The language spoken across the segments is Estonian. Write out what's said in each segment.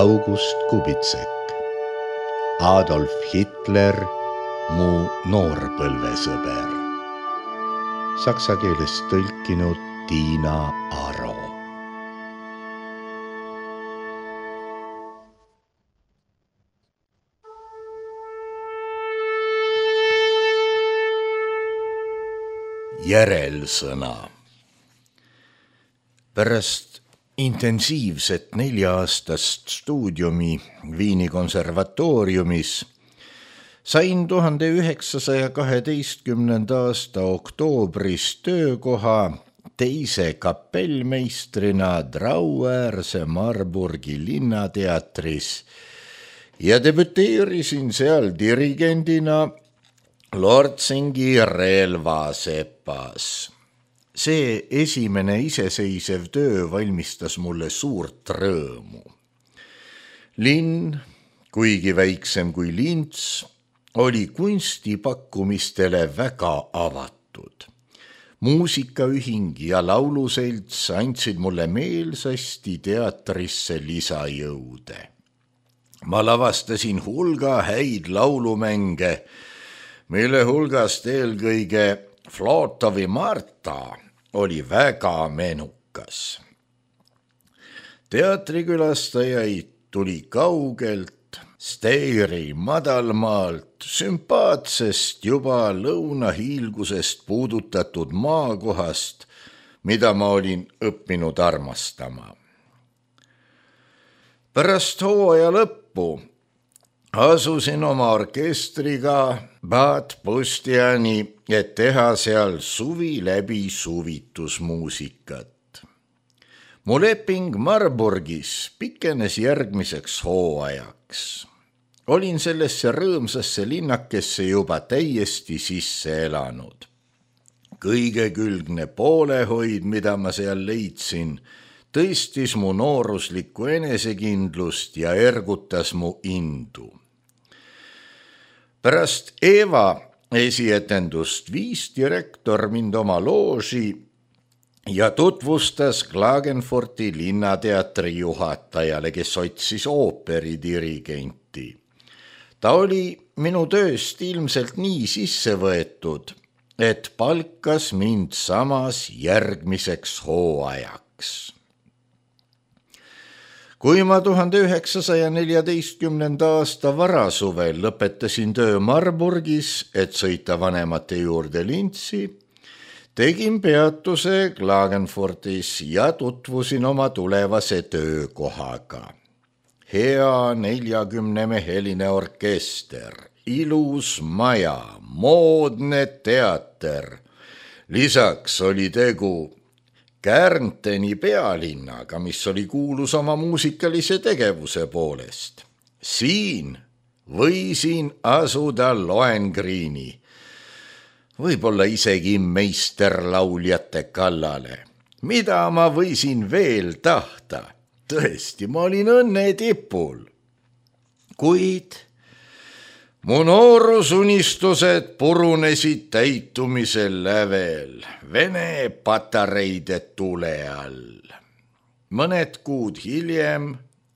August Kubitsek, Adolf Hitler, mu noorpõlvesõber. Saksa keelest tõlkinud Tiina Aro. Järelsõna. Pärast intensiivset 4-aastast stuudiumi Viini konservatooriumis sain 1912. aasta oktoobris töökoha teise kapellmeistrina Drauäärse Marburgi linnateatris ja debüteerisin seal dirigendina Lortsingi relvasepas. See esimene iseseisev töö valmistas mulle suurt rõõmu. Linn, kuigi väiksem kui Lints, oli kunstipakkumistele väga avatud. Muusikaühing ja lauluselts andsid mulle meelsasti teatrisse lisajõude. Ma lavastasin hulga häid laulumänge, mille hulgast eelkõige Flotovi Marta oli väga menukas. Teatrikülastajaid tuli kaugelt, Steiri madalmaalt, sümpaatsest juba lõunahiilgusest puudutatud maakohast, mida ma olin õppinud armastama. Pärast hooaja lõppu asusin oma orkestriga Bad Pustiani, et teha seal suvi läbi suvitusmuusikat. Mu leping Marburgis pikenes järgmiseks hooajaks. Olin sellesse rõõmsasse linnakesse juba täiesti sisse elanud. Kõigekülgne poolehoid, mida ma seal leidsin, tõstis mu nooruslikku enesekindlust ja ergutas mu indu. Pärast Eva esietendust viis direktor mind oma looži ja tutvustas Klagenfurti linnateatri juhatajale, kes otsis ooperidirigenti. Ta oli minu tööst ilmselt nii sisse võetud, et palkas mind samas järgmiseks hooajaks. Kui ma 1914. aasta varasuvel lõpetasin töö Marburgis, et sõita vanemate juurde Lintsi, tegin peatuse Klagenfurtis ja tutvusin oma tulevase töökohaga. Hea 40-meheline orkester, ilus maja, moodne teater. Lisaks oli tegu Kärnteni pealinnaga, mis oli kuulus oma muusikalise tegevuse poolest. Siin võisin asuda Lohengrini, võib-olla isegi meisterlauljate kallale. Mida ma võisin veel tahta? Tõesti, ma olin õnne tipul. Kuid mu noorusunistused purunesid täitumisel lävel Vene patareide tule all. Mõned kuud hiljem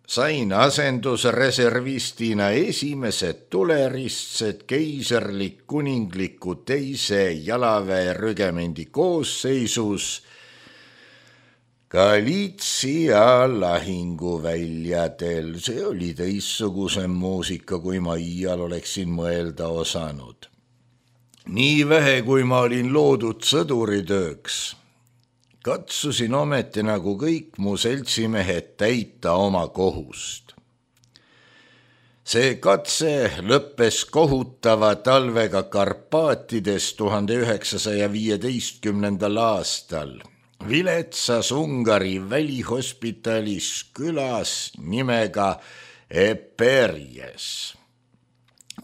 sain asendusreservistina esimesed tuleristsed keiserlik kuningliku teise jalaväerügemendi koosseisus Galitsia lahinguväljadel. See oli teistsugusem muusika, kui ma iial oleksin mõelda osanud. Nii vähe, kui ma olin loodud sõduritööks, katsusin ometi nagu kõik mu seltsimehed täita oma kohust. See katse lõppes kohutava talvega Karpaatides 1915. aastal. Viletsas Ungari välihospitalis külas nimega Eperjes.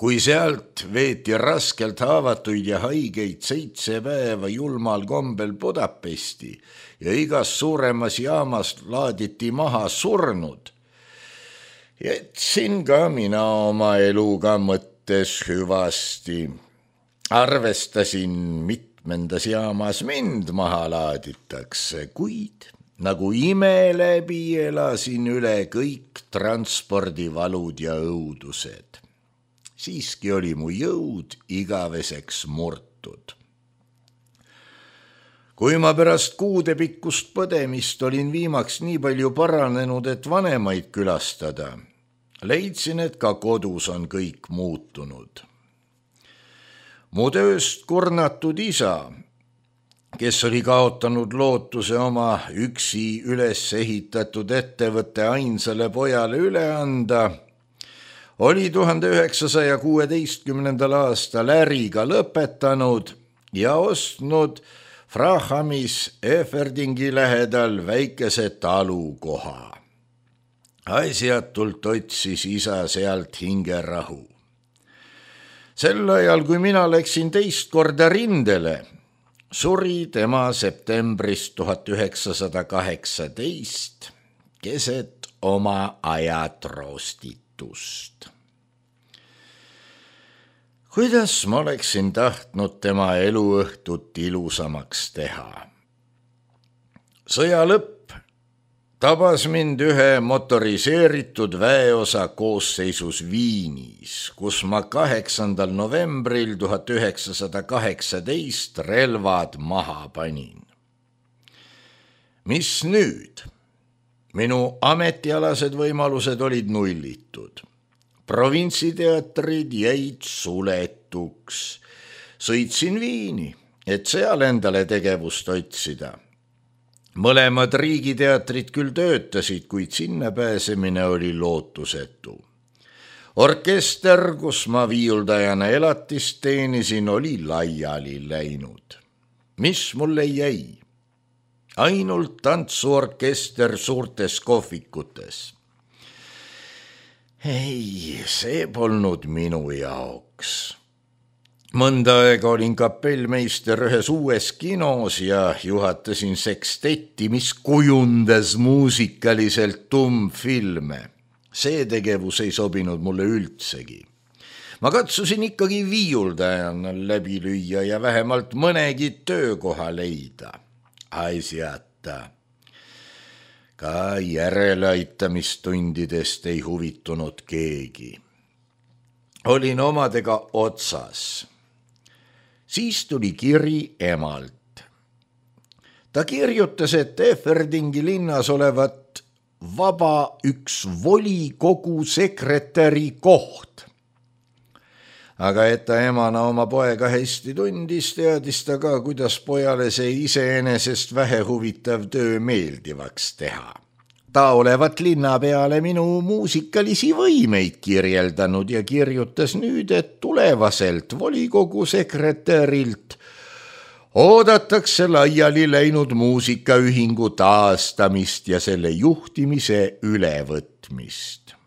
Kui sealt veeti raskelt haavatuid ja haigeid 7 päeva julmal kombel Budapesti ja igas suuremas jaamas laaditi maha surnud, jätsin ka mina oma eluga mõttes hüvasti. Arvestasin mitmendas jaamas mind maha laaditakse, kuid nagu ime läbi elasin üle kõik transpordivalud ja õudused. Siiski oli mu jõud igaveseks murtud. Kui ma pärast kuudepikkust põdemist olin viimaks nii palju paranenud, et vanemaid külastada, leidsin, et ka kodus on kõik muutunud. Mu tööst kurnatud isa, kes oli kaotanud lootuse oma üksi üles ehitatud ettevõtte ainsale pojale üle anda, oli 1916. aastal äriga lõpetanud ja ostnud Frahamis Eferdingi lähedal väikese talukoha. Asjatult otsis isa sealt hingerahu. Sel ajal, kui mina läksin teist korda rindele, suri tema septembris 1918 keset oma ajatroostitust. Kuidas ma oleksin tahtnud tema eluõhtut ilusamaks teha? Sõja lõpp tabas mind ühe motoriseeritud väeosa koosseisus Viinis, kus ma 8. novembril 1918 relvad maha panin. Mis nüüd? Minu ametialased võimalused olid nullitud. Provintsiteatrid jäid suletuks. Sõitsin Viini, et seal endale tegevust otsida. Mõlemad riigiteatrid küll töötasid, kuid sinna pääsemine oli lootusetu. Orkester, kus ma viiuldajana elatist teenisin, oli laiali läinud. Mis mulle jäi? Ainult tantsuorkester suurtes kohvikutes. Ei, see polnud minu jaoks. Mõnda aega olin kapellmeister ühes uues kinos ja juhatasin sekstetti, mis kujundas muusikaliselt tummfilme. See tegevus ei sobinud mulle üldsegi. Ma katsusin ikkagi viiuldajana läbi lüüa ja vähemalt mõnegi töökoha leida. Asjata. Ka järeleaitamistundidest ei huvitunud keegi. Olin omadega otsas. Siis tuli kiri emalt. Ta kirjutas, et Eferdingi linnas olevat vaba üks volikogu sekretäri koht. Aga et ta emana oma poega hästi tundis, teadis ta ka, kuidas pojale see iseenesest vähehuvitav töö meeldivaks teha. Ta olevat linna peale minu muusikalisi võimeid kirjeldanud ja kirjutas nüüd, et tulevaselt volikogu sekretärilt oodatakse laiali läinud muusikaühingu taastamist ja selle juhtimise ülevõtmist.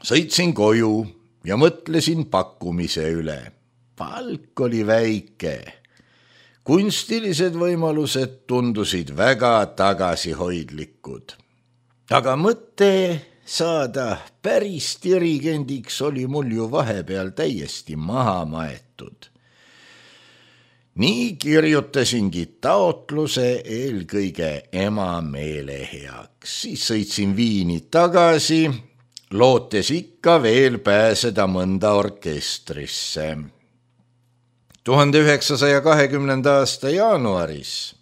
Sõitsin koju ja mõtlesin pakkumise üle. Palk oli väike. Kunstilised võimalused tundusid väga tagasihoidlikud. Aga mõte saada päris dirigendiks oli mul ju vahepeal täiesti maha maetud. Nii kirjutasingi taotluse eelkõige ema meele heaks. Siis sõitsin Viini tagasi, lootes ikka veel pääseda mõnda orkestrisse. 1920. aasta jaanuaris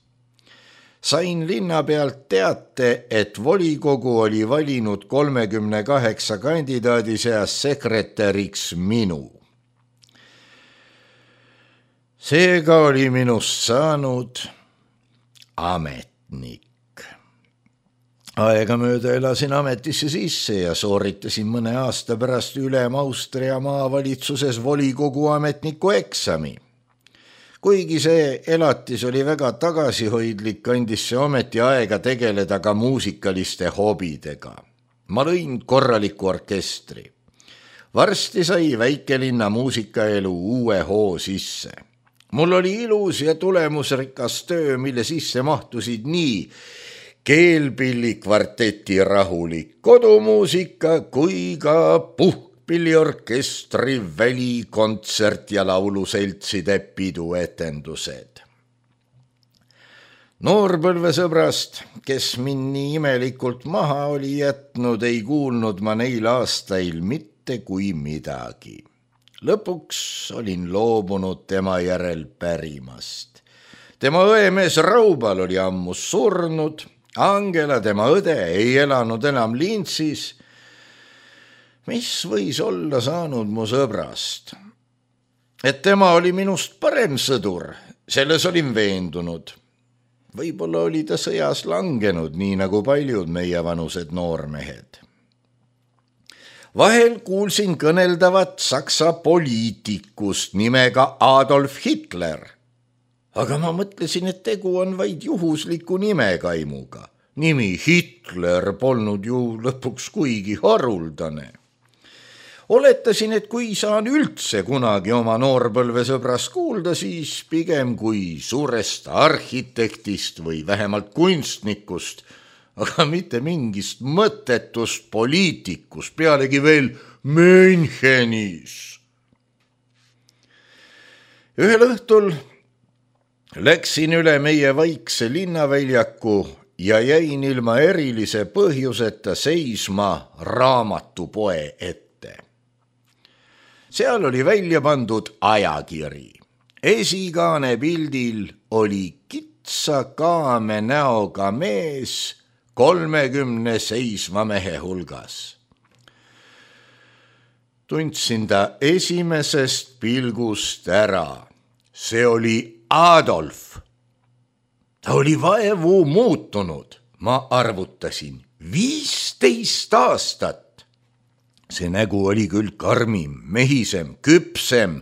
sain linna pealt teate, et volikogu oli valinud 38 kandidaadi seas sekretäriks minu. Seega oli minust saanud ametnik. Aegamööda elasin ametisse sisse ja sooritasin mõne aasta pärast ülem Austria maavalitsuses volikogu ametniku eksami. Kuigi see elatis oli väga tagasihoidlik, andis see ometi aega tegeleda ka muusikaliste hobidega. Ma lõin korraliku orkestri. Varsti sai väikelinna muusikaelu uue hoo sisse. Mul oli ilus ja tulemusrikas töö, mille sisse mahtusid nii keelpillikvarteti rahulik kodumuusika kui ka puhkpilliorkestri välikontsert ja lauluseltside piduetendused. Noorpõlvesõbrast, kes mind nii imelikult maha oli jätnud, ei kuulnud ma neil aastail mitte kui midagi. Lõpuks olin loobunud tema järel pärimast. Tema õemees Raubal oli ammu surnud, Angela, tema õde, ei elanud enam Lintsis. Mis võis olla saanud mu sõbrast? Et tema oli minust parem sõdur, selles olin veendunud. Võib-olla oli ta sõjas langenud, nii nagu paljud meie vanused noormehed. Vahel kuulsin kõneldavat saksa poliitikust nimega Adolf Hitler. Aga ma mõtlesin, et tegu on vaid juhusliku nimekaimuga. Nimi Hitler polnud ju lõpuks kuigi haruldane. Oletasin, et kui saan üldse kunagi oma noorpõlvesõbrast kuulda, siis pigem kui suurest arhitektist või vähemalt kunstnikust, aga mitte mingist mõttetust poliitikust, pealegi veel Münchenis. Ühel õhtul läksin üle meie vaikse linnaväljaku ja jäin ilma erilise põhjuseta seisma raamatupoe ette. Seal oli välja pandud ajakiri. Esikaane pildil oli kitsa kaame näoga mees 30 seisva mehe hulgas. Tundsin ta esimesest pilgust ära. See oli Adolf. Ta oli vaevu muutunud. Ma arvutasin 15 aastat. See nägu oli küll karmim, mehisem, küpsem,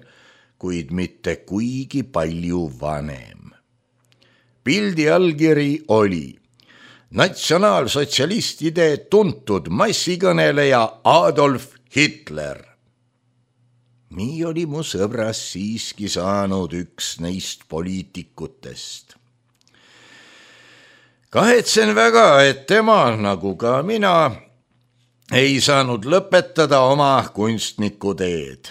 kuid mitte kuigi palju vanem. Pildi allkiri oli natsionaalsotsialistide tuntud massikõneleja Adolf Hitler. Nii oli mu sõbras siiski saanud üks neist poliitikutest. Kahetsen väga, et tema, nagu ka mina, ei saanud lõpetada oma kunstnikuteed.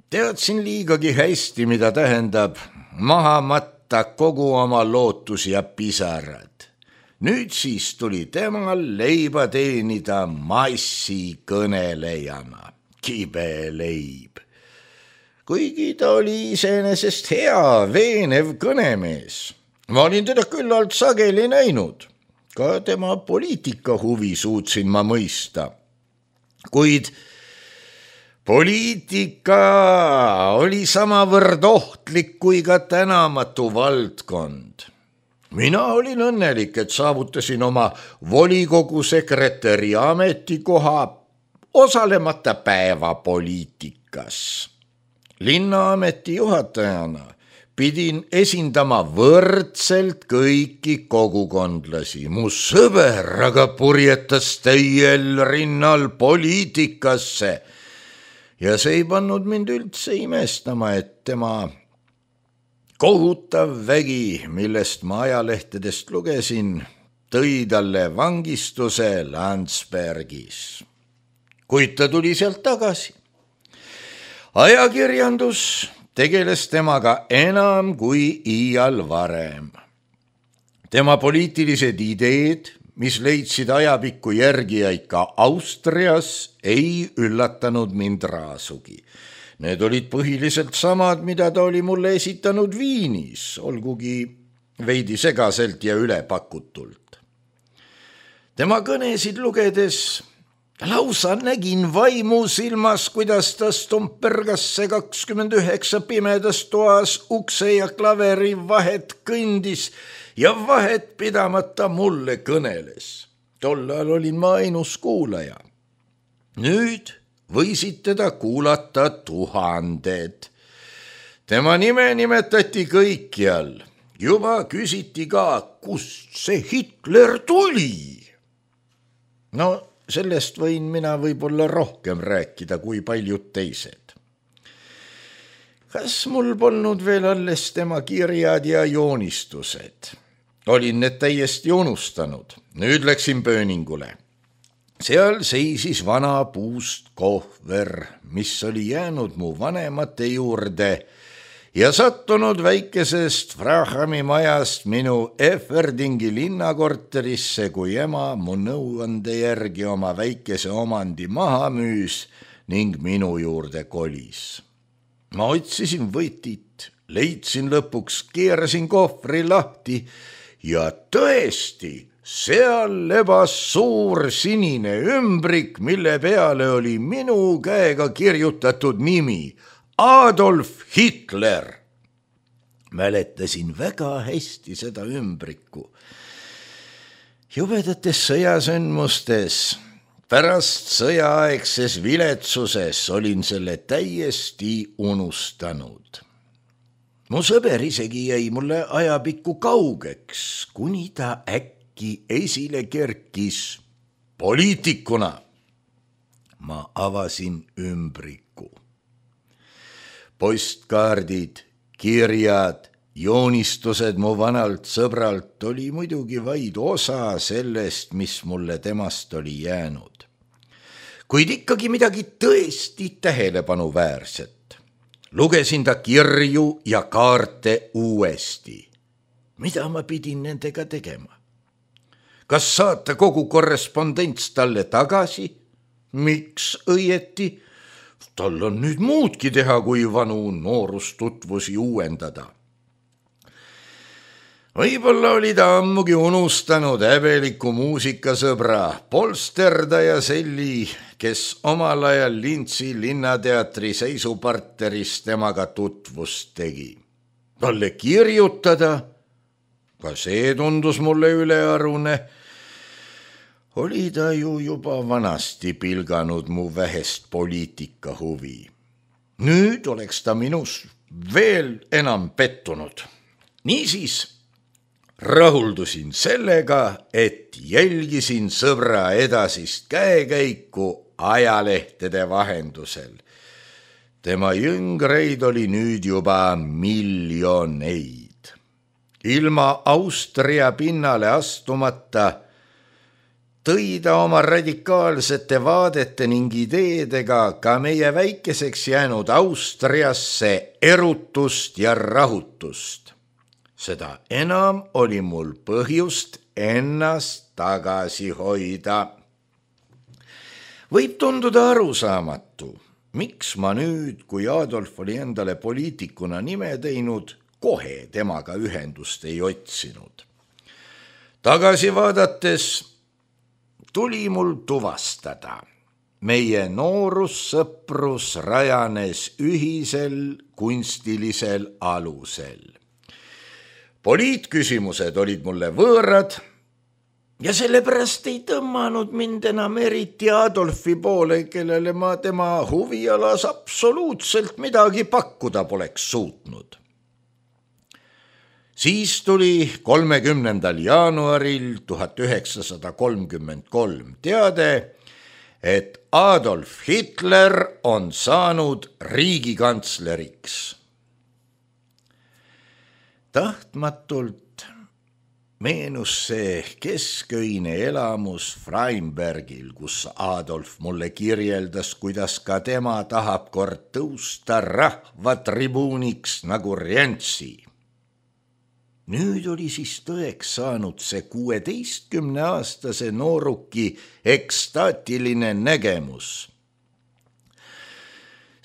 Teadsin liigagi hästi, mida tähendab maha matta kogu oma lootus ja pisarad. Nüüd siis tuli temal leiba teenida massikõnelejana. Kibe leib. Kuigi ta oli iseenesest hea, veenev kõnemees. Ma olin teda küllalt sageli näinud. Ka tema poliitika huvi suutsin ma mõista. Kuid poliitika oli samavõrd ohtlik kui ka tänamatu valdkond. Mina olin õnnelik, et saavutasin oma volikogu sekretäri ametikoha osalemata päevapoliitikas. Linnaameti juhatajana pidin esindama võrdselt kõiki kogukondlasi. Mu sõber aga purjetas täiel rinnal poliitikasse ja see ei pannud mind üldse imestama, et tema kohutav vägi, millest ma ajalehtedest lugesin, tõi talle vangistuse Landsbergis. Kuid ta tuli sealt tagasi. Ajakirjandus tegeles temaga enam kui iial varem. Tema poliitilised ideed, mis leidsid ajapikku järgijaid ka Austrias, ei üllatanud mind raasugi. Need olid põhiliselt samad, mida ta oli mulle esitanud Viinis, olgugi veidi segaselt ja ülepakutult. Tema kõnesid lugedes lausa nägin vaimu silmas, kuidas ta stompergasse 29 pimedas toas ukse ja klaveri vahet kõndis ja vahet pidamata mulle kõneles. Tollal olin ma ainus kuulaja. Nüüd võisid teda kuulata tuhanded. Tema nime nimetati kõikjal. Juba küsiti ka, kust see Hitler tuli. No, sellest võin mina võib-olla rohkem rääkida kui paljud teised. Kas mul polnud veel alles tema kirjad ja joonistused? Olin need täiesti unustanud. Nüüd läksin pööningule. Seal seisis vana puust kohver, mis oli jäänud mu vanemate juurde ja sattunud väikesest Frahami majast minu Eferdingi linnakorterisse, kui ema mu nõuande järgi oma väikese omandi maha müüs ning minu juurde kolis. Ma otsisin võtit, leidsin lõpuks, keerasin kohvri lahti ja tõesti, seal lebas suur sinine ümbrik, mille peale oli minu käega kirjutatud nimi Adolf Hitler. Mäletasin väga hästi seda ümbriku. Jubedates sõjasündmustes, pärast sõjaaegses viletsuses olin selle täiesti unustanud. Mu sõber isegi jäi mulle ajapikku kaugeks, kuni ta äkki esile kerkis poliitikuna. Ma avasin ümbriku. Postkaardid, kirjad, joonistused mu vanalt sõbralt oli muidugi vaid osa sellest, mis mulle temast oli jäänud. Kuid ikkagi midagi tõesti tähelepanuväärset. Lugesin ta kirju ja kaarte uuesti. Mida ma pidin nendega tegema? Kas saata kogu korrespondents talle tagasi? Miks õieti? Tal on nüüd muudki teha, kui vanu noorustutvusi uuendada. Võib-olla oli ta ammugi unustanud häbeliku muusikasõbra polsterdaja Selli, kes omal ajal Lintsi linnateatri seisuparteris temaga tutvust tegi. Talle kirjutada, ka see tundus mulle ülearune, oli ta ju juba vanasti pilganud mu vähest poliitika huvi. Nüüd oleks ta minus veel enam pettunud. Niisiis rahuldusin sellega, et jälgisin sõbra edasist käekäiku ajalehtede vahendusel. Tema jüngreid oli nüüd juba miljoneid. Ilma Austria pinnale astumata tõi ta oma radikaalsete vaadete ning ideedega ka meie väikeseks jäänud Austriasse erutust ja rahutust. Seda enam oli mul põhjust ennast tagasi hoida. Võib tunduda arusaamatu, miks ma nüüd, kui Adolf oli endale poliitikuna nime teinud, kohe temaga ühendust ei otsinud. Tagasi vaadates tuli mul tuvastada. Meie noorussõprus rajanes ühisel kunstilisel alusel. Poliitküsimused olid mulle võõrad ja sellepärast ei tõmmanud mind enam eriti Adolfi poole, kellele ma tema huvialas absoluutselt midagi pakkuda poleks suutnud. Siis tuli 30. jaanuaril 1933 teade, et Adolf Hitler on saanud riigikantsleriks. Tahtmatult meenus see kesköine elamus Freimbergil, kus Adolf mulle kirjeldas, kuidas ka tema tahab kord tõusta rahvatribuuniks nagu Rientsi. Nüüd oli siis tõeks saanud see 16-aastase nooruki ekstaatiline nägemus.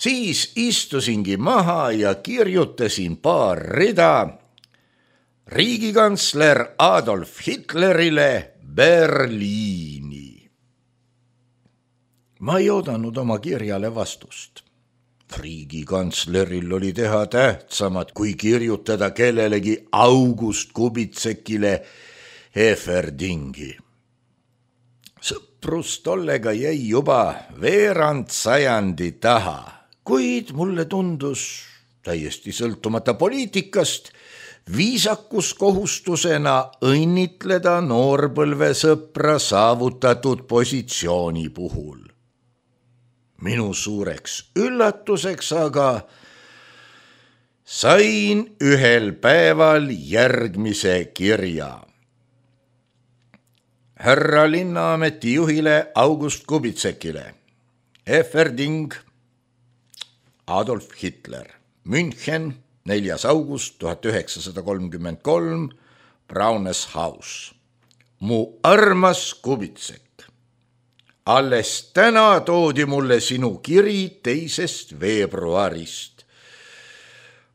Siis istusingi maha ja kirjutasin paar rida riigikantsler Adolf Hitlerile Berliini. Ma ei oodanud oma kirjale vastust. Riigikantsleril oli teha tähtsamat, kui kirjutada kellelegi August Kubitsekile Eferdingi. Sõprus tollega jäi juba veerand sajandi taha, kuid mulle tundus täiesti sõltumata poliitikast viisakuskohustusena õnnitleda noorpõlvesõpra saavutatud positsiooni puhul. Minu suureks üllatuseks aga sain ühel päeval järgmise kirja. Härra linnaameti juhile August Kubitsekile. Eferding, Adolf Hitler, München, 4. august 1933, Brownes House. Mu armas Kubitsek. Alles täna toodi mulle sinu kiri 2. veebruarist.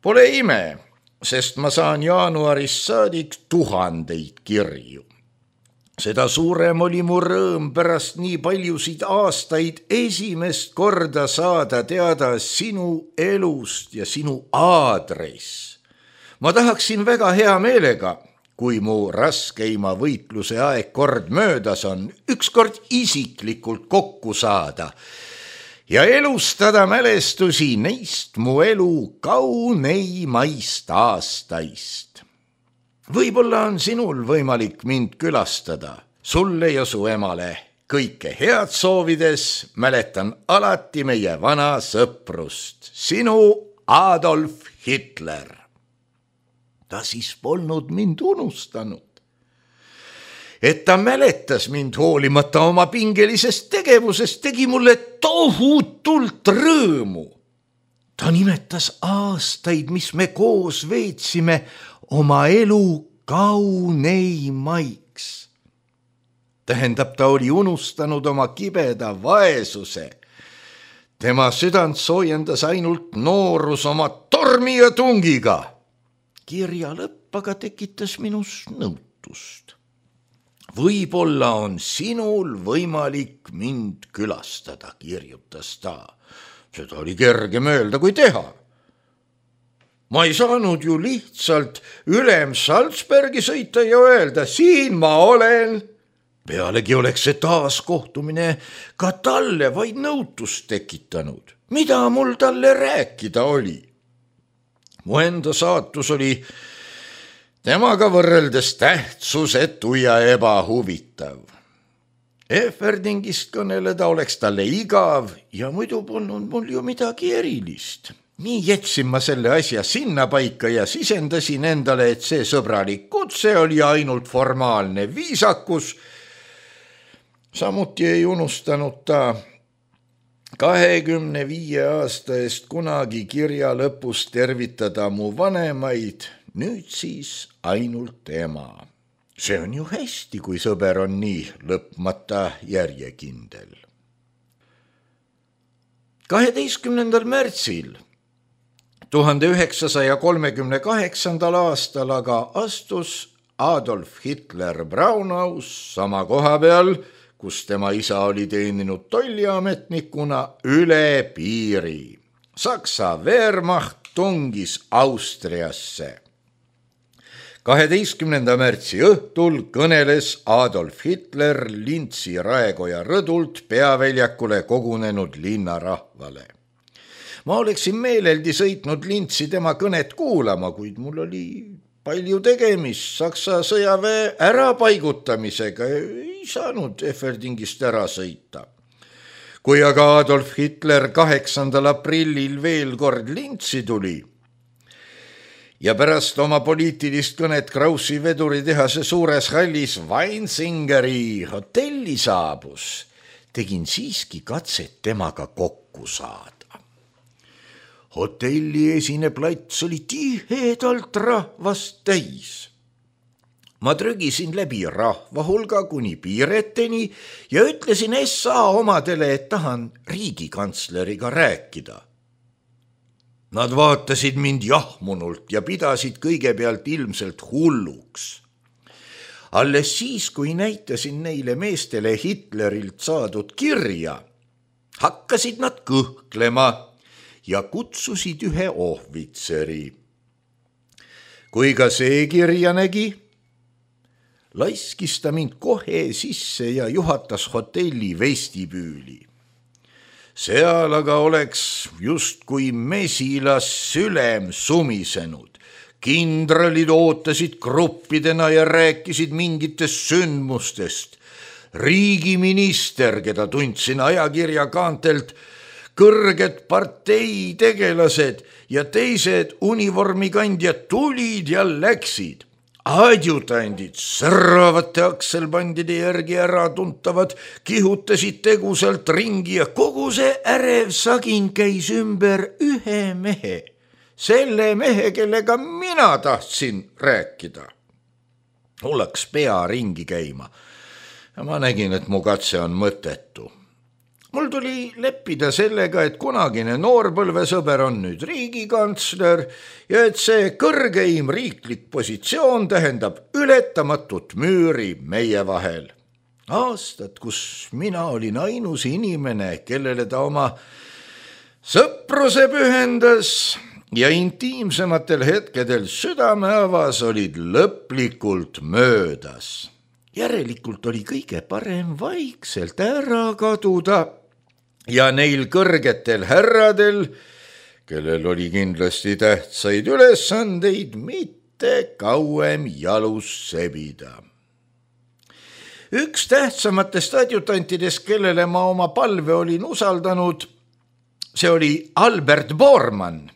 Pole ime, sest ma saan jaanuarist saadik 1000 kirju. Seda suurem oli mu rõõm pärast nii paljusid aastaid esimest korda saada teada sinu elust ja sinu aadress. Ma tahaksin väga hea meelega, kui mu raskeima võitluse aeg kord möödas on, ükskord isiklikult kokku saada ja elustada mälestusi neist mu elu kauneimaist aastaist. Võib-olla on sinul võimalik mind külastada, sulle ja su emale. Kõike head soovides mäletan alati meie vana sõprust. Sinu Adolf Hitler. Ta siis polnud mind unustanud. Et ta mäletas mind hoolimata oma pingelisest tegevusest, tegi mulle tohutult rõõmu. Ta nimetas aastaid, mis me koos veetsime, oma elu kauneimaiks. Tähendab, ta oli unustanud oma kibeda vaesuse. Tema südant soojendas ainult noorus oma tormi ja tungiga. Kirja lõpp aga tekitas minus nõutust. Võib-olla on sinul võimalik mind külastada, kirjutas ta. Seda oli kergem öelda kui teha. Ma ei saanud ju lihtsalt ülem Salzbergi sõita ja öelda, siin ma olen. Pealegi oleks see taaskohtumine ka talle vaid nõutust tekitanud. Mida mul talle rääkida oli? Mu enda saatus oli temaga võrreldes tähtsusetu ja ebahuvitav. Eferdingist kõneleda oleks talle igav ja muidu polnud mul ju midagi erilist. Nii jätsin ma selle asja sinna paika ja sisendasin endale, et see sõbralik kutse oli ainult formaalne viisakus. Samuti ei unustanud ta 25 aasta eest kunagi kirja lõpus tervitada mu vanemaid, nüüd siis ainult ema. See on ju hästi, kui sõber on nii lõpmata järjekindel. 12. märtsil 1938. aastal aga astus Adolf Hitler Braunhaus sama koha peal, kus tema isa oli teeninud tolliametnikuna, üle piiri. Saksa Wehrmacht tungis Austriasse. 12. märtsi õhtul kõneles Adolf Hitler Lintsi Raekoja rõdult peaväljakule kogunenud linnarahvale. Ma oleksin meeleldi sõitnud Lintsi tema kõnet kuulama, kuid mul oli palju tegemist Saksa sõjaväe ärapaigutamisega, ei saanud Eferdingist ära sõita. Kui aga Adolf Hitler 8. aprillil veel kord Lintsi tuli ja pärast oma poliitilist kõnet Kraussi veduritehase suures hallis Weinsingeri hotelli saabus, tegin siiski katset temaga kokku saada. Hotelli esine plats oli tihedalt rahvast täis. Ma trügisin läbi rahva hulga kuni piireteni ja ütlesin SA omadele, et tahan riigikantsleriga rääkida. Nad vaatasid mind jahmunult ja pidasid kõigepealt ilmselt hulluks. Alles siis, kui näitasin neile meestele Hitlerilt saadud kirja, hakkasid nad kõhklema ja kutsusid ühe ohvitseri. Kui ka see kirja nägi, laiskis ta mind kohe sisse ja juhatas hotelli vestibüüli. Seal aga oleks justkui mesilas sülem sumisenud. Kindralid ootasid gruppidena ja rääkisid mingitest sündmustest. Riigiminister, keda tundsin ajakirja kaantelt, kõrged parteitegelased ja teised univormikandjad tulid ja läksid. Adjutandid särravate akselbandide järgi ära tuntavad, kihutasid tegusalt ringi ja kogu see ärev sagin käis ümber ühe mehe, selle mehe, kellega mina tahtsin rääkida. Mul hakkas pea ringi käima ja ma nägin, et mu katse on mõttetu. Mul tuli leppida sellega, et kunagine noorpõlvesõber on nüüd riigikantsler ja et see kõrgeim riiklik positsioon tähendab ületamatut müüri meie vahel. Aastad, kus mina olin ainus inimene, kellele ta oma sõpruse pühendas ja intiimsematel hetkedel südame avas, olid lõplikult möödas. Järelikult oli kõige parem vaikselt ära kaduda ja neil kõrgetel härradel, kellel oli kindlasti tähtsaid ülesandeid, mitte kauem jalus sebida. Üks tähtsamatest adjutantidest, kellele ma oma palve olin usaldanud, see oli Albert Bormann.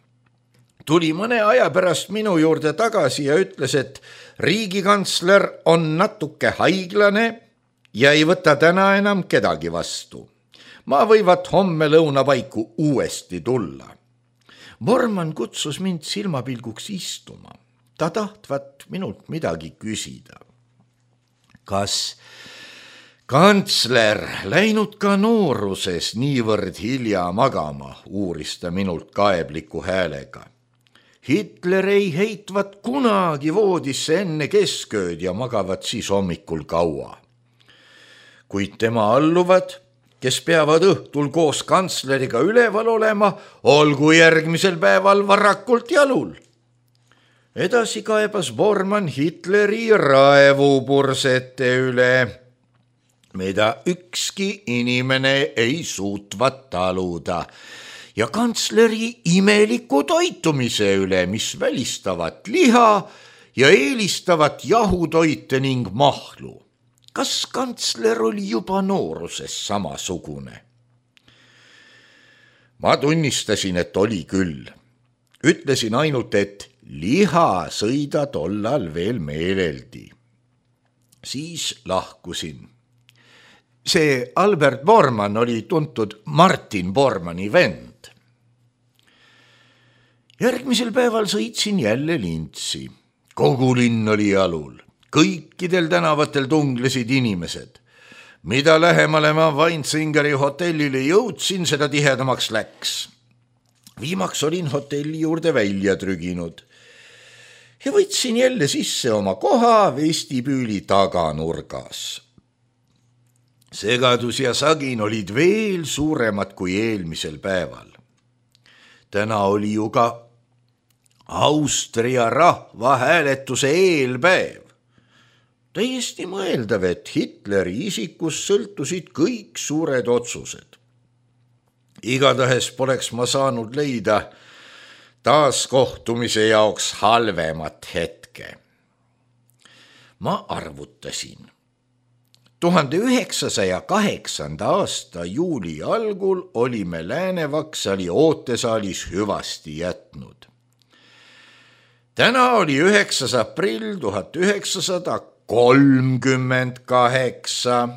Tuli mõne aja pärast minu juurde tagasi ja ütles, et riigikantsler on natuke haiglane ja ei võta täna enam kedagi vastu. Ma võivat homme lõunapaiku uuesti tulla. Bormann kutsus mind silmapilguks istuma. Ta tahtvat minult midagi küsida. Kas kantsler läinud ka nooruses niivõrd hilja magama, uuris ta minult kaebliku häälega. Hitler ei heitvat kunagi voodisse enne keskööd ja magavat siis hommikul kaua. Kuid tema alluvad, kes peavad õhtul koos kantsleriga üleval olema, olgu järgmisel päeval varakult jalul. Edasi kaebas Bormann Hitleri raevupursete üle, mida ükski inimene ei suutvat taluda, ja kantsleri imeliku toitumise üle, mis välistavat liha ja eelistavat jahutoite ning mahlu. Kas kantsler oli juba nooruses samasugune? Ma tunnistasin, et oli küll. Ütlesin ainult, et liha sõida tollal veel meeleldi. Siis lahkusin. See Albert Bormann oli tuntud Martin Bormanni vend. Järgmisel päeval sõitsin jälle Lintsi. Kogu linn oli jalul. Kõikidel tänavatel tunglesid inimesed. Mida lähemale ma Weinsingeri hotellile jõudsin, seda tihedamaks läks. Viimaks olin hotelli juurde välja trüginud ja võtsin jälle sisse oma koha vestibüüli taganurgas. Segadus ja sagin olid veel suuremad kui eelmisel päeval. Täna oli ju ka Austria rahvahääletuse eelpäev. Täiesti mõeldav, et Hitleri isikus sõltusid kõik suured otsused. Igatahes poleks ma saanud leida taaskohtumise jaoks halvemat hetke. Ma arvutasin. 1908. aasta juuli algul olime Läänevaksali ootesaalis hüvasti jätnud. Täna oli 9. aprill 1938.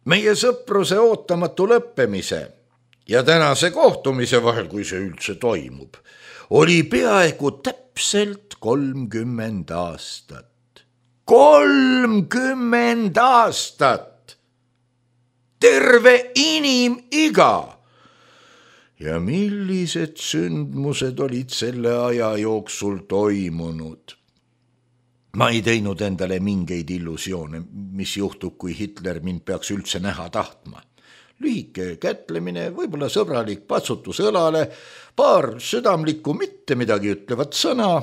Meie sõpruse ootamatu lõppemise ja tänase kohtumise vahel, kui see üldse toimub, oli peaaegu täpselt 30 aastat. 30 aastat! Terve inimiga! Ja millised sündmused olid selle aja jooksul toimunud? Ma ei teinud endale mingeid illusioone, mis juhtub, kui Hitler mind peaks üldse näha tahtma. Lühike kätlemine, võib-olla sõbralik patsutus õlale, paar südamlikku mitte midagi ütlevat sõna,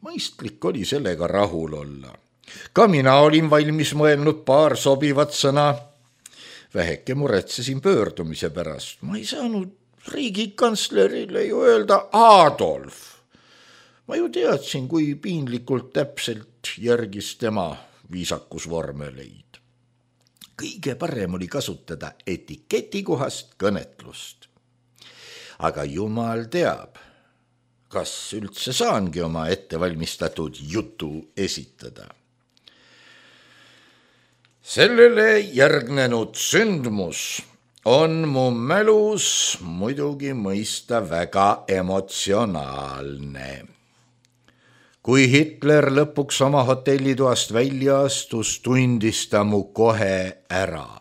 mõistlik oli sellega rahul olla. Ka mina olin valmis mõelnud paar sobivat sõna. Väheke muretsesin pöördumise pärast. Ma ei saanud riigikantslerile ju öelda Adolf. Ma ju teadsin, kui piinlikult täpselt järgis tema viisakusvormeleid. Kõige parem oli kasutada etiketikohast kõnetlust. Aga jumal teab, kas üldse saangi oma ettevalmistatud jutu esitada. Sellele järgnenud sündmus on mu mälus muidugi mõista väga emotsionaalne. Kui Hitler lõpuks oma hotellitoast välja astus, tundis ta mu kohe ära.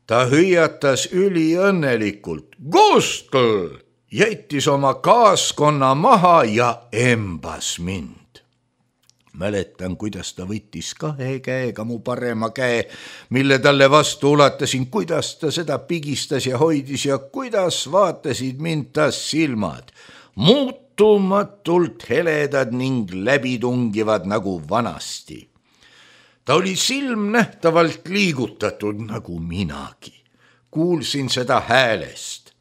Ta hüüatas üliõnnelikult: Gustl! Jättis oma kaaskonna maha ja embas mind. Mäletan, kuidas ta võttis 2 käega mu parema käe, mille talle vastu ulatasin, kuidas ta seda pigistas ja hoidis ja kuidas vaatasid mind ta silmad, muutumatult heledad ning läbitungivad nagu vanasti. Ta oli silmnähtavalt liigutatud nagu minagi. Kuulsin seda häälest.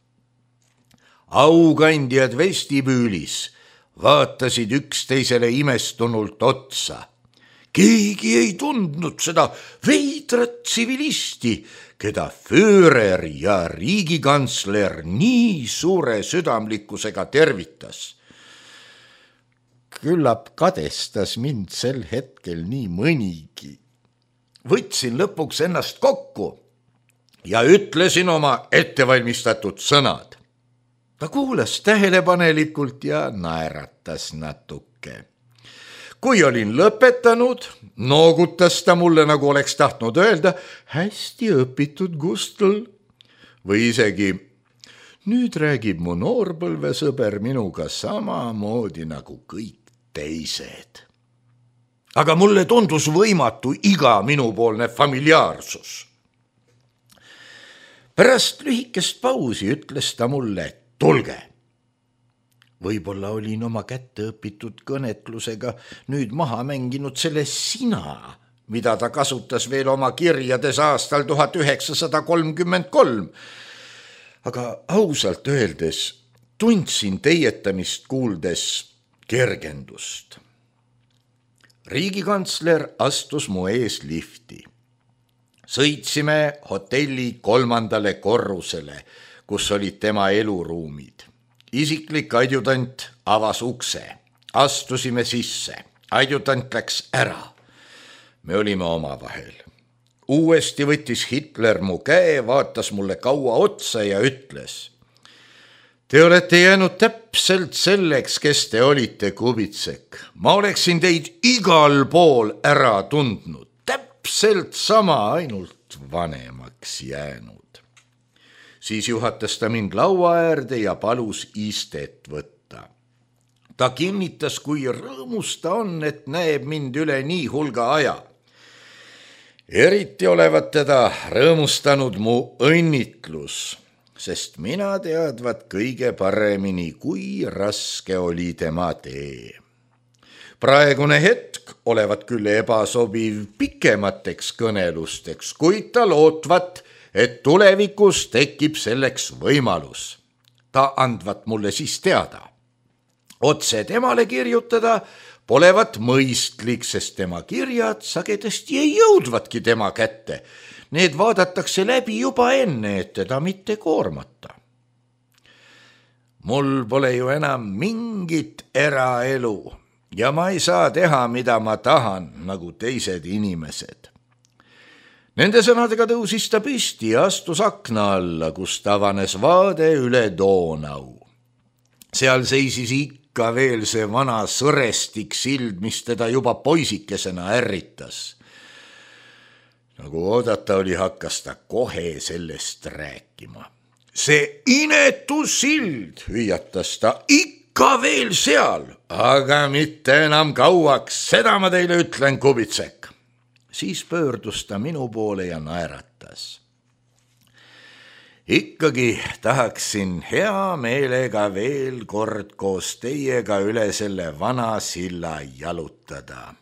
Aukandjad vestibüülis vaatasid üksteisele imestunult otsa. Keegi ei tundnud seda veidrat tsivilisti, keda Führer ja riigikantsler nii suure südamlikkusega tervitas. Küllap kadestas mind sel hetkel nii mõnigi. Võtsin lõpuks ennast kokku ja ütlesin oma ettevalmistatud sõnad. Ta kuulas tähelepanelikult ja naeratas natuke. Kui olin lõpetanud, noogutas ta mulle, nagu oleks tahtnud öelda, hästi õpitud, Gustl. Või isegi, nüüd räägib mu noorpõlvesõber minuga samamoodi nagu kõik teised. Aga mulle tundus võimatu iga minupoolne familiaarsus. Pärast lühikest pausi ütles ta mulle: tulge. Võib-olla olin oma kätte õpitud kõnetlusega nüüd maha mänginud selle sina, mida ta kasutas veel oma kirjades aastal 1933. Aga ausalt öeldes tundsin teietamist kuuldes kergendust. Riigikantsler astus mu ees lifti. Sõitsime hotelli 3. korrusele, kus olid tema eluruumid. Isiklik adjutant avas ukse. Astusime sisse. Adjutant läks ära. Me olime omavahel. Uuesti võttis Hitler mu käe, vaatas mulle kaua otsa ja ütles: te olete jäänud täpselt selleks, kes te olite, Kubitsek. Ma oleksin teid igal pool ära tundnud. Täpselt sama, ainult vanemaks jäänud. Siis juhatas ta mind laua äärde ja palus istet võtta. Ta kinnitas, kui rõõmus ta on, et näeb mind üle nii hulga aja. Eriti olevat teda rõõmustanud mu õnnitlus, sest mina teadvat kõige paremini, kui raske oli tema tee. Praegune hetk olevat küll ebasobiv pikemateks kõnelusteks, kuid ta lootvat, et tulevikus tekib selleks võimalus. Ta andvat mulle siis teada. Otse temale kirjutada polevat mõistlik, sest tema kirjad sagedasti ei jõudvatki tema kätte. Need vaadatakse läbi juba enne, et teda mitte koormata. Mul pole ju enam mingit eraelu ja ma ei saa teha, mida ma tahan, nagu teised inimesed. Nende sõnadega tõusis ta püsti ja astus akna alla, kus avanes vaade üle Donau. Seal seisis ikka veel see vana sõrestik sild, mis teda juba poisikesena ärritas. Nagu oodata oli, hakkas ta kohe sellest rääkima. See inetu sild, hüüatas ta, ikka veel seal, aga mitte enam kauaks, seda ma teile ütlen, Kubitsek. Siis pöördus ta minu poole ja naeratas. Ikkagi tahaksin hea meelega veel kord koos teiega üle selle vana silla jalutada.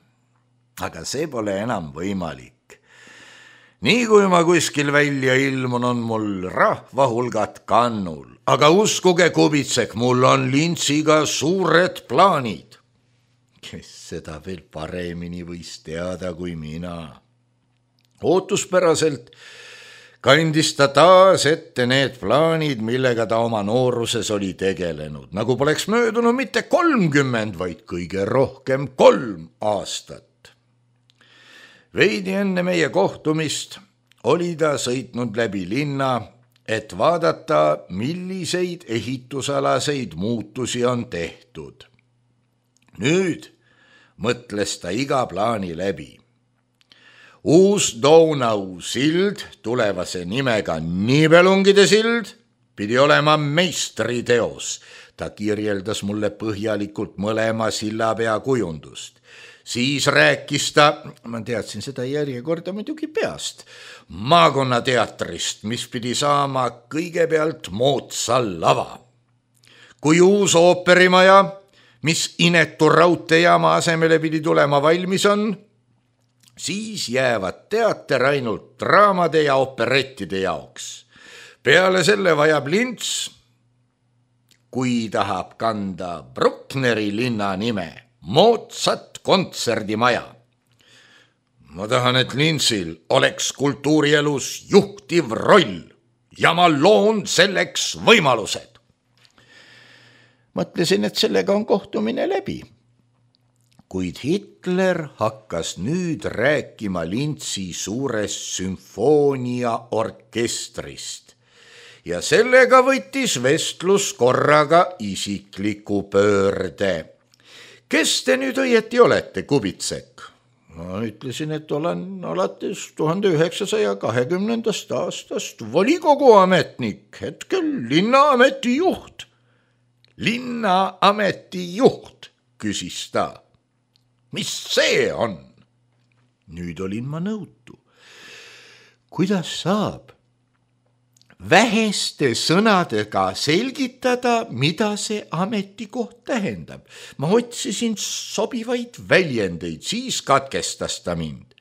Aga see pole enam võimalik. Nii kui ma kuskil välja ilmun, on mul rahvahulgad kannul. Aga uskuge, Kubitsek, mul on lintsiga suured plaanid. Kes seda veel paremini võis teada kui mina. Ootuspäraselt kandis ta taas ette need plaanid, millega ta oma nooruses oli tegelenud. Nagu poleks möödunud mitte 30, vaid kõige rohkem 3 aastat. Veidi enne meie kohtumist oli ta sõitnud läbi linna et vaadata, milliseid ehitusalaseid muutusi on tehtud. Nüüd mõtles ta iga plaani läbi. Uus Donau sild, tulevase nimega Nibelungide sild, pidi olema meistriteos. Ta kirjeldas mulle põhjalikult mõlema sillapea kujundust. Siis rääkis ta, ma teadsin seda järjekorda muidugi peast, maakonnateatrist, mis pidi saama kõigepealt moodsa lava. Kui uus ooperimaja, mis inetu raudteejaama asemele pidi tulema valmis on, siis jäävad teater ainult draamade ja operettide jaoks. Peale selle vajab lints, kui tahab kanda Bruckneri linna nime, moodsat kontserdimaja. Ma tahan, et lintsil oleks kultuurielus juhtiv roll ja ma loon selleks võimalused. Mõtlesin, et sellega on kohtumine läbi. Kuid Hitler hakkas nüüd rääkima lintsi suurest sümfooniaorkestrist ja sellega võttis vestlus korraga isikliku pöörde. Kes te nüüd õieti olete, Kubitsek? Ma ütlesin, et olen alates 1920. aastast volikogu ametnik, hetkel linnaameti juht. Linnaameti juht, küsis ta. Mis see on? Nüüd olin ma nõutu. Kuidas saab väheste sõnadega selgitada, mida see ametikoht tähendab? Ma otsisin sobivaid väljendeid, siis katkestas ta mind.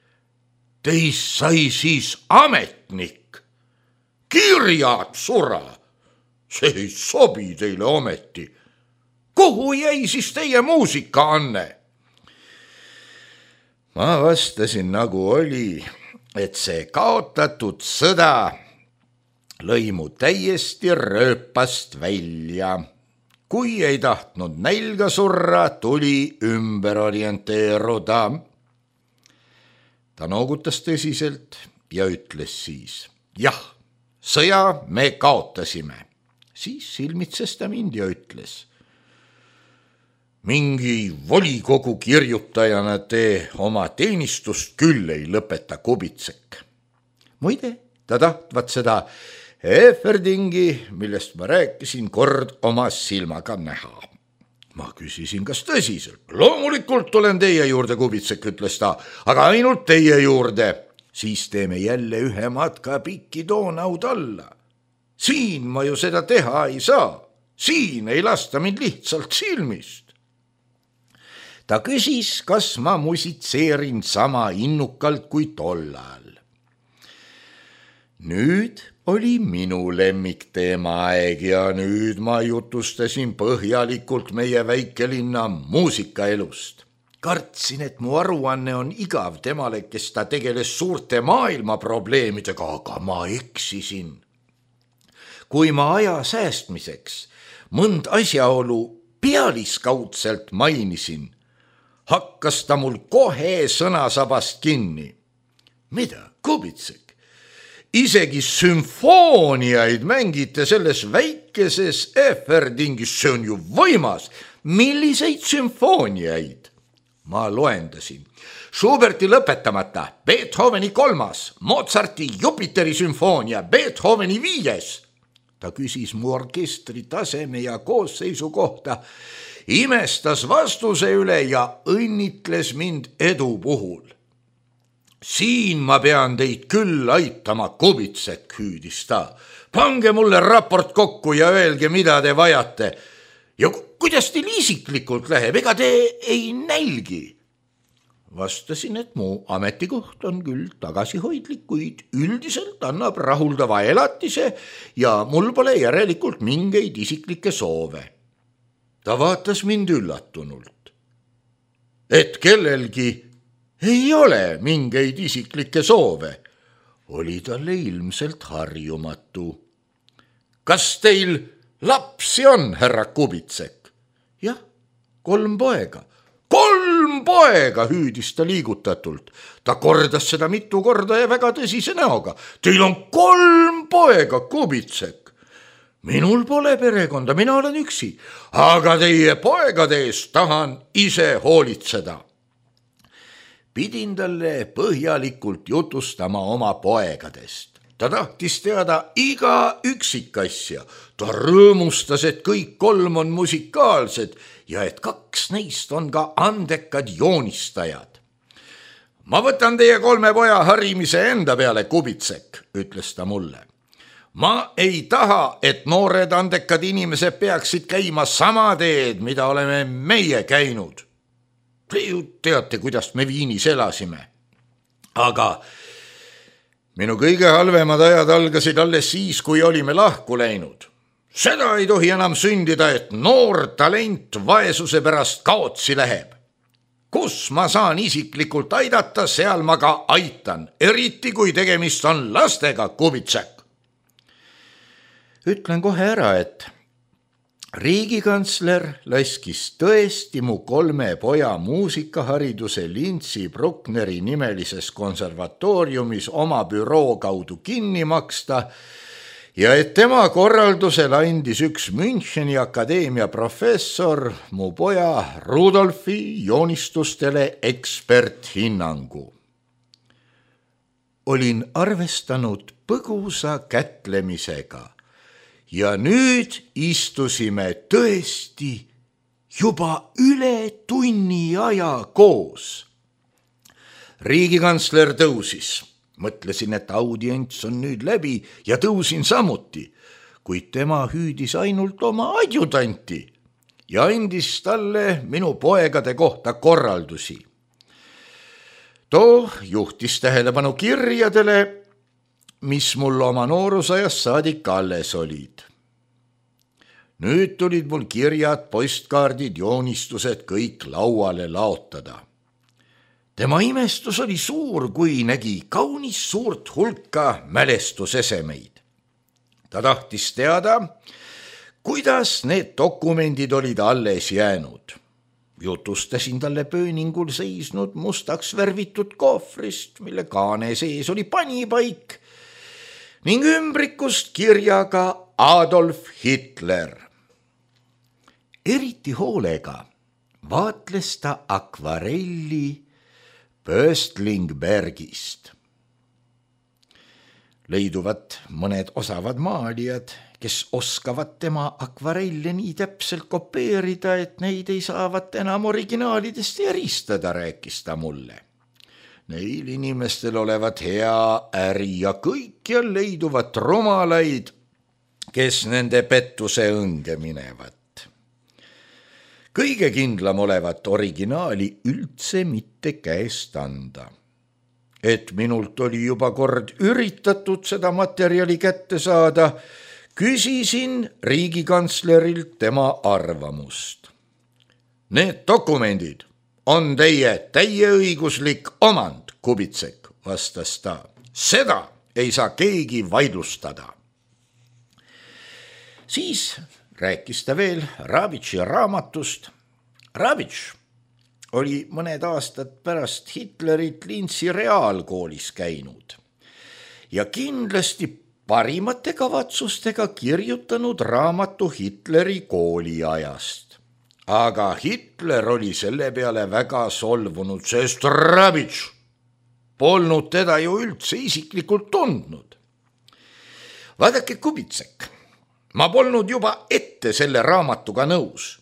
Teist sai siis ametnik. Kirjad sura. See ei sobi teile ometi. Kuhu jäi siis teie muusikaanne? Ma vastasin nagu oli, et see kaotatud sõda lõi mu täiesti rööpast välja. Kui ei tahtnud nälga surra, tuli ümber orienteeruda. Ta noogutas tõsiselt ja ütles siis, jah, sõja me kaotasime. Siis silmitses ta mind ja ütles, mingi volikogu kirjutajana te oma teenistust küll ei lõpeta, Kubitsek. Muide, ta tahtvat seda Eferdingi, millest ma rääkisin, kord oma silmaga näha. Ma küsisin, kas tõsiselt? Loomulikult tulen teie juurde, Kubitsek, ütles ta, aga ainult teie juurde. Siis teeme jälle ühe matka pikki Donaud alla. Siin ma ju seda teha ei saa. Siin ei lasta mind lihtsalt silmist. Ta küsis, kas ma musitseerin sama innukalt kui tollal. Nüüd oli minu lemmikteema aeg ja nüüd ma jutustasin põhjalikult meie väikelinna muusikaelust. Kartsin, et mu aruanne on igav temale, kes ta tegeles suurte maailma probleemidega, aga ma eksisin. Kui ma aja säästmiseks mõnd asjaolu pealiskaudselt mainisin, hakkas ta mul kohe sõnasabast kinni. Mida, Kubitsek? Isegi sümfooniaid mängite selles väikeses Eferdingis, see on ju võimas. Milliseid sümfooniaid? Ma loendasin. Schuberti lõpetamata, Beethoveni 3., Mozarti Jupiteri sümfoonia, Beethoveni 5. Ta küsis mu orkestri taseme ja koosseisu kohta, imestas vastuse üle ja õnnitles mind edu puhul. Siin ma pean teid küll aitama, Kubitsek, hüüdis ta. Pange mulle raport kokku ja öelge, mida te vajate. Ja kuidas teil isiklikult läheb, ega te ei nälgi? Vastasin, et mu ametikoht on küll tagasihoidlik, kuid üldiselt annab rahuldava elatise ja mul pole järelikult mingeid isiklikke soove. Ta vaatas mind üllatunult. Et kellelgi ei ole mingeid isiklikke soove, oli talle ilmselt harjumatu. Kas teil lapsi on, härra Kubitsek? Jah, 3 poega. 3 poega, hüüdis ta liigutatult. Ta kordas seda mitu korda ja väga tõsise näoga. Teil on 3 poega, Kubitsek. Minul pole perekonda, mina olen üksi, aga teie poegade eest tahan ise hoolitseda. Pidin talle põhjalikult jutustama oma poegadest. Ta tahtis teada iga üksikasja. Ta rõõmustas, et kõik 3 on musikaalsed ja et 2 neist on ka andekad joonistajad. Ma võtan teie 3 poja harimise enda peale, Kubitsek, ütles ta mulle. Ma ei taha, et noored andekad inimesed peaksid käima sama teed, mida oleme meie käinud. Te ju teate, kuidas me Viinis elasime. Aga minu kõige halvemad ajad algasid alles siis, kui olime lahku läinud. Seda ei tohi enam sündida, et noor talent vaesuse pärast kaotsi läheb. Kus ma saan isiklikult aidata, seal ma ka aitan, eriti kui tegemist on lastega, Kubitsek. Ütlen kohe ära, et riigikantsler laskis tõesti mu 3 poja muusikahariduse Lintsi Bruckneri nimelises konservatooriumis oma büroo kaudu kinni maksta ja et tema korraldusel andis üks Müncheni akadeemia professor mu poja Rudolfi joonistustele eksperthinnangu. Olin arvestanud põgusa kätlemisega ja nüüd istusime tõesti juba üle tunni aja koos. Riigikantsler tõusis. Mõtlesin, et audients on nüüd läbi ja tõusin samuti, kuid tema hüüdis ainult oma adjutanti ja andis talle minu poegade kohta korraldusi. Too juhtis tähelepanu kirjadele, mis mul oma noorusajast saadik alles olid. Nüüd tulid mul kirjad, postkaardid, joonistused kõik lauale laotada. Tema imestus oli suur, kui nägi kaunis suurt hulka mälestusesemeid. Ta tahtis teada, kuidas need dokumendid olid alles jäänud. Jutustasin talle pööningul seisnud mustaks värvitud kohvrist, mille kaane sees oli panipaik ning ümbrikust kirjaga Adolf Hitler. Eriti hoolega vaatles ta akvarelli Pöstlingbergist. Leiduvad mõned osavad maalijad, kes oskavad tema akvarelle nii täpselt kopeerida, et neid ei saavat enam originaalidest eristada, rääkis ta mulle. Neil inimestel olevat hea äri ja kõikjal leiduvat rumalaid, kes nende pettuse õnge minevad. Kõige kindlam olevat originaali üldse mitte käest anda. Et minult oli juba kord üritatud seda materjali kätte saada, küsisin riigikantslerilt tema arvamust. Need dokumendid on teie täieõiguslik omand, Kubitsek, vastas ta. Seda ei saa keegi vaidlustada. Siis rääkis ta veel Rabitši raamatust. Rabitš oli mõned aastad pärast Hitlerit Lintsi reaalkoolis käinud ja kindlasti parimate kavatsustega kirjutanud raamatu Hitleri kooliajast. Aga Hitler oli selle peale väga solvunud, sest Rabitš polnud teda ju üldse isiklikult tundnud. Vaadake, Kubitsek, ma polnud juba ette selle raamatuga nõus.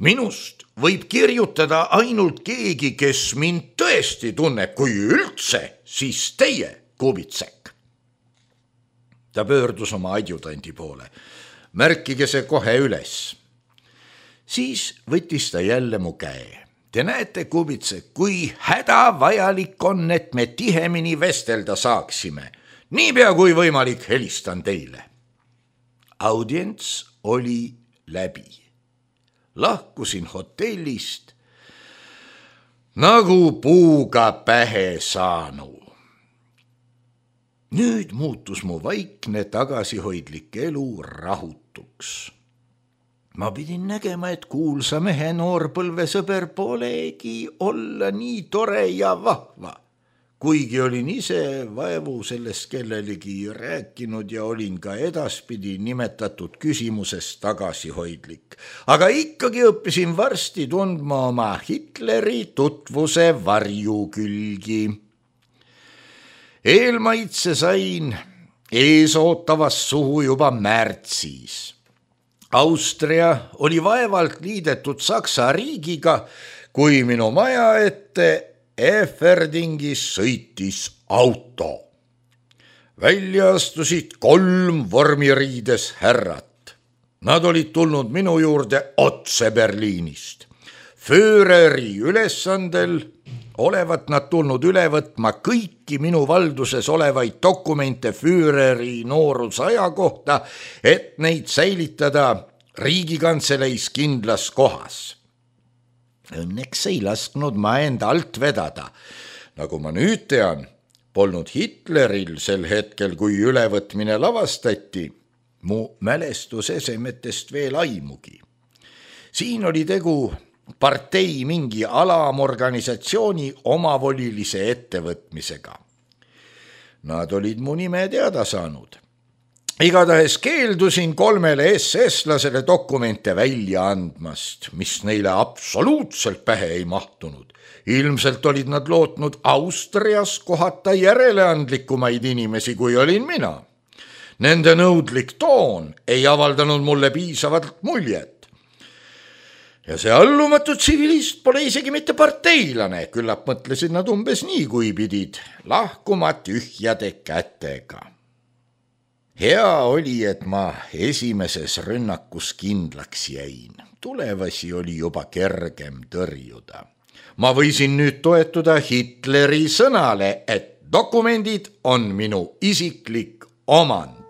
Minust võib kirjutada ainult keegi, kes mind tõesti tunneb, kui üldse, siis teie, Kubitsek. Ta pöördus oma adjutanti poole. Märkige see kohe üles. Siis võttis ta jälle mu käe. Te näete, Kubitsek, kui hädavajalik on, et me tihemini vestelda saaksime. Niipea kui võimalik, helistan teile. Audients oli läbi. Lahkusin hotellist nagu puuga pähe saanu. Nüüd muutus mu vaikne tagasihoidlik elu rahutuks. Ma pidin nägema, et kuulsa mehe noorpõlvesõber polegi olla nii tore ja vahva, kuigi olin ise vaevu sellest kellelegi rääkinud ja olin ka edaspidi nimetatud küsimuses tagasihoidlik. Aga ikkagi õppisin varsti tundma oma Hitleri tutvuse varjukülgi. Eelmaitse sain eesootavas suhu juba märtsis. Austria oli vaevalt liidetud Saksa riigiga, kui minu maja ette Eferdingis sõitis auto. Välja astusid 3 vormiriides härrat. Nad olid tulnud minu juurde otse Berliinist. Führeri ülesandel olevat nad tulnud üle võtma kõiki minu valduses olevaid dokumente Führeri noorusaja kohta, et neid säilitada Riigikantseleis kindlas kohas. Õnneks ei lasknud ma enda alt vedada. Nagu ma nüüd tean, polnud Hitleril sel hetkel, kui ülevõtmine lavastati, mu mälestusesemetest veel aimugi. Siin oli tegu partei mingi alamorganisatsiooni omavolilise ettevõtmisega. Nad olid mu nime teada saanud. Igatahes keeldusin 3 SS-lasele dokumente välja andmast, mis neile absoluutselt pähe ei mahtunud. Ilmselt olid nad lootnud Austrias kohata järeleandlikumaid inimesi, kui olin mina. Nende nõudlik toon ei avaldanud mulle piisavalt muljet. Ja see allumatu tsivilist pole isegi mitte parteilane, küllap mõtlesid nad umbes nii, kui pidid lahkuma tühjade kätega. Hea oli, et ma esimeses rünnakus kindlaks jäin. Tulevasi oli juba kergem tõrjuda. Ma võisin nüüd toetuda Hitleri sõnale, et dokumendid on minu isiklik omand.